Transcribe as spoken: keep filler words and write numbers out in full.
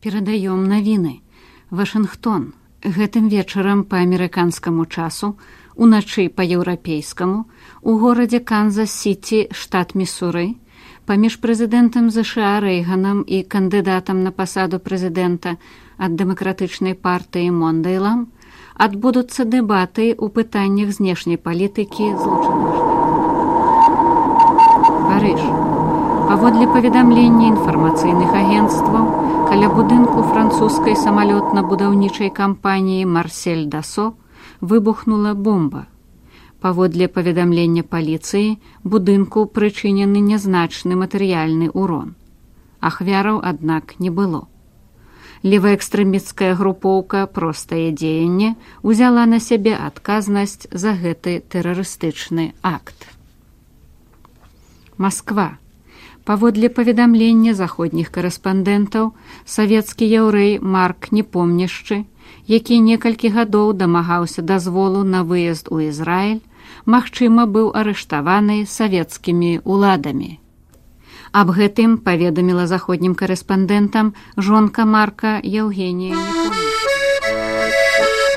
Перадаём навіны. Вашынгтон. Гэтым вечарам па амерыканскаму часу, уначы па еўрапейскаму, у горадзе Канзас-Сіці, штат Місуры, паміж прэзідэнтам ЗША Рэйганам і кандыдатам на пасаду прэзідэнта ад дэмакратычнай партыі Мондейлам адбудуцца дэбаты ў пытаннях знешняй палітыкі злучаных штатаў. Парыж. Паводле паведамлення інфармацыйных агенцтваў, каля будынку французскай самалётна-будаўнічай кампаніі «Марсель Дасо» выбухнула бомба. Паводле паведамлення паліцыі, будынку прычынены нязначны матэрыяльны ўрон. Ахвяраў, аднак, не было. Леваэкстрэмісцкая групоўка «Простае дзеянне» узяла на сябе адказнасць за гэты тэрарыстычны акт. Масква. Паводле паведамлення заходніх карэспандэнтаў, савецкі яўрэй Марк Непомняшчы, які некалькі гадоў дамагаўся дазволу на выезд у Ізраіль, магчыма, быў арыштаваны савецкімі ўладамі. Аб гэтым паведаміла заходнім карэспандэнтам жонка Марка Яўгенія Непомняшчы.